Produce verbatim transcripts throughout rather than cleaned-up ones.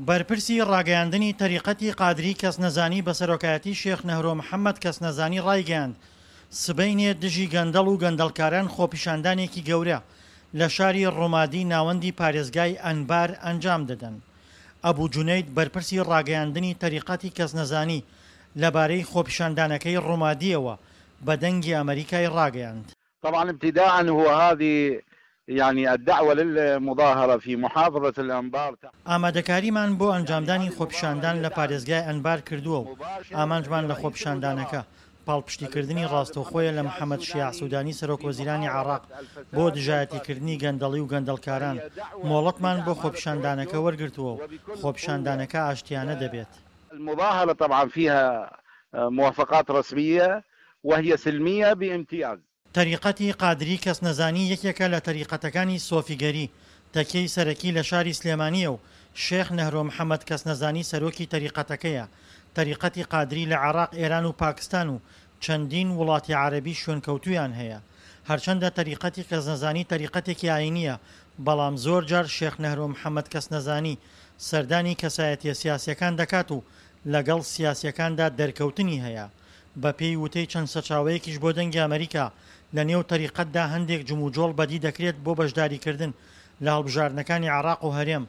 بەرپرسی ڕاگەیاندنی تەریقەتی قادری کەسنەزانی بە سەرۆکایەتی شێخ نەهرۆ محەمەد کەسنەزانی ڕایگەیاند، سبەینێ دژی گەندەڵ و گەندەڵکاران خۆپیشاندانێکی گەورە لە شاری ڕومادی ناوەندی پارێزگای ئەنبار ئەنجام دەدەن. ئەبو جونەید بەرپرسی ڕاگەیاندنی تەریقەتی کەسنەزانی لەبارەی خۆپیشاندانەکەی ڕومادییەوە بە دەنگی ئەمەریکای ڕاگەیاند. طبعا ابتداء هو هذه يعني الدعوة للمظاهرة في محافظة الأنبار. ئامادەکاریمان بۆ ئەنجامدانی خۆپیشاندان لە پارێزگای ئەنبار کردووە و ئامانجمان لە خۆپیشاندانەکە پاڵپشتیکردنی ڕاستەوخۆیە لە محەمەد شیاع سودانی سەرۆک وەزیرانی عێراق بۆ دژایەتیکردنی گەندەڵی و گەندەڵکاران. مۆڵەتمان بۆ خۆپیشاندانەکە وەرگرتووە و خۆپیشاندانەکە ئاشتیانە دەبێت. المظاهرة طبعا فيها موافقات رسمية وهي سلمية بامتياز. تەریقەتی قادری کەسنەزانی یەکێکە لە تەریقەتەکانی سۆفیگەری، تەکیەی سەرەکی لە شاری سلێمانییە و شێخ نەهرۆ محەمەد کەسنەزانی سەرۆکی تەریقەتەکەیە. تەریقەتی قادری لە عێراق، ئێران و پاکستان و چەندین وڵاتی عەرەبی شوێنکەوتوویان هەیە. هەرچەندە تەریقەتی کەسنەزانی تەریقەتێکی ئایینییە، بەڵام زۆر جار شێخ نەهرۆ محەمەد کەسنەزانی سەردانی کەسایەتییە سیاسییەکان دەکات و لەگەڵ سیاسییەکاندا دەرکەوتنی هەیە. بەپێی وتەی چەند سەرچاوەیەکیش بۆ دەنگی ئەمەریکا، لە نێو تەریقەتدا هەندێک جموجۆڵ بەدی دەکرێت بۆ بەشداریکردن لە هەڵبژاردنەکانی عێراق و هەرێم،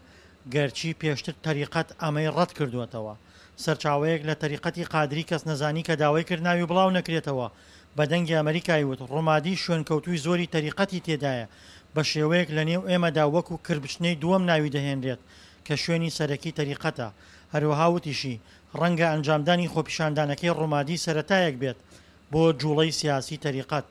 گەرچی پێشتر تەریقەت ئەمەی ڕەتکردووەتەوە. سەرچاوەیەک لە تەریقەتی قادری کەسنەزانی کە داوای کرد ناوی بڵاو نەکرێتەوە، بە دەنگی ئەمەریکای وت، ڕومادی شوێنکەوتووی زۆری تەریقەتی تێدایە، بە شێوەیەک لە نێو ئێمەدا وەکو کربچنەی دووەم ناوی دەهێنرێت کە شوێنی سەرەکی تەریقەتە. هەروەها وتیشی، ڕەنگە ئەنجامدانی خۆپیشاندانەکەی ڕومادی سەرەتایەک بێت بۆ جوڵەی سیاسی تەریقەت.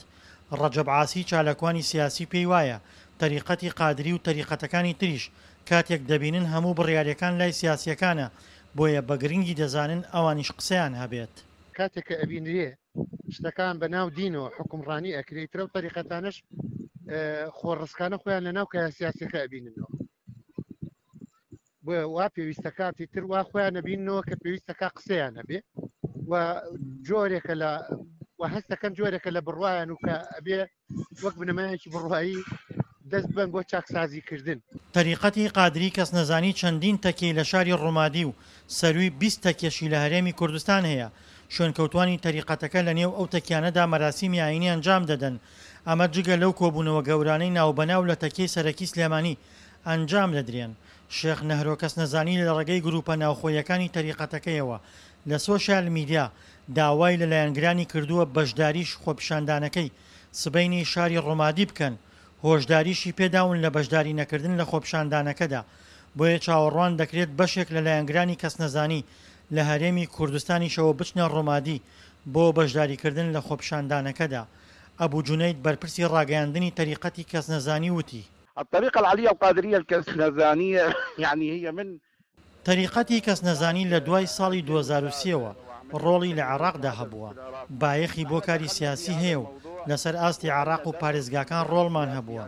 ڕەجەب عاسی چالاکوانی سیاسی پێی وایە تەریقەتی قادری و تەریقەتەکانی تریش کاتێک دەبینن هەموو بڕیارەکان لای سیاسیەکانە، بۆیە بە گرنگی دەزانن ئەوانیش قسەیان هەبێت. کاتێک کە ئەبینرێ شتەکان بە ناو دینەوە حوکمڕانی ئەکرێ، ئیتر ئەو تەریقەتانەش خۆڕسکانە خۆیان لە ناو کایە سیاسیەکە ئەبیننەوە. بۆیە وا پێویستە کاتی تر وا خۆیان ئەبیننەوە کە پێویستەکە قسەیان هەبێ و جۆرێکە لە و هەستەکەن جۆرێکە لە بڕوایان و کە ئەبێ وەک بنەمایەکی بڕوایی دەست بەن بۆ چاکسازیکردن. تەریقەتی قادری کەسنەزانی چەندین تەکیەی لە شاری ڕومادی و سەرووی بیست تەکیەشی لە هەرێمی کوردستان هەیە، شوێنکەوتوانی تەریقەتەکە لەنێو ئەو تەکیانەدا مەراسیمی ئایینی ئەنجام دەدەن، ئەمە جگە لەو کۆبوونەوە گەورانەی ناوبەناو لە تەکیەی سەرەکی سلێمانی ئەنجام دەدرێن. شێخ نەهرۆ کەسنەزانی لە ڕێگەی گروپە ناوخۆییەکانی تەریقەتەکەیەوە لە سۆشیال میدیا داوای لە لایەنگرانی کردووە بەشداریی خۆپیشاندانەکەی سبەینێی شاری ڕومادی بکەن، هۆشداریشی پێداون لە بەشداری نەکردن لە خۆپیشاندانەکەدا، بۆیە چاوەڕوان دەکرێت بەشێک لە لایەنگرانی کەسنەزانی لە هەرێمی کوردستانیشەوە بچنە ڕومادی بۆ بەشداریکردن لە خۆپیشاندانەکەدا. ئەبو جونەید بەرپرسی ڕاگەیاندنی تەریقەتی کەسنەزانی وتی. الطريقة العلية القادرية الكەسنەزانیە یعنی هي من. تەریقەتی کەسنەزانی لە دوای ساڵی دوو هەزار و سێ وە ڕۆڵی لە عێراقدا هەبووە، بایەخی بۆ کاری سیاسی هەیە و لەسەر ئاستی عێراق و پارێزگاکان ڕۆڵمان هەبووە.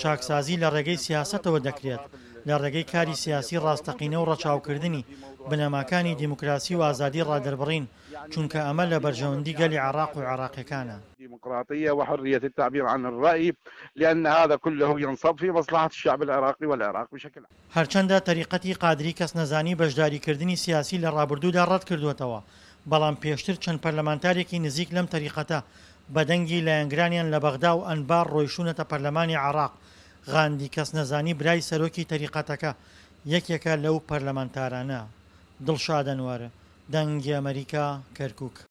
چاکسازی لە ڕێگەی سیاسەتەوە دەکرێت، لە ڕێگەی کاری سیاسی ڕاستەقینە و ڕەچاوکردنی بنەماکانی دیموکراسی و ئازادی ڕادەربڕین، چونکە ئەمە لە بەرژەوەندی گەلی عێراق و عێراقیەکانە. ديمقراطية وحرية التعبير عن الرأي لأن هذا كله ينصب في مصلحة الشعب العراقي والعراق بشكل عام. هەرچەندە تەریقەتی قادری کەسنەزانی بەشداریکردنی سیاسی لە ڕابردوودا ڕەتکردووەتەوە، بەڵام پێشتر چەند پەرلەمانتارێکی نزیک لەم تەریقەتە بە دەنگی لایەنگرانیان لە بەغدا و ئەنبار ڕۆیشتوونەتە پەرلەمانی عێراق، غاندی کەسنەزانی برای سەرۆکی تەریقەتەکە یەکێکە لەو پەرلەمانتارانە. دڵشاد ئەنوەر، دەنگی ئەمەریکا، کەرکوک.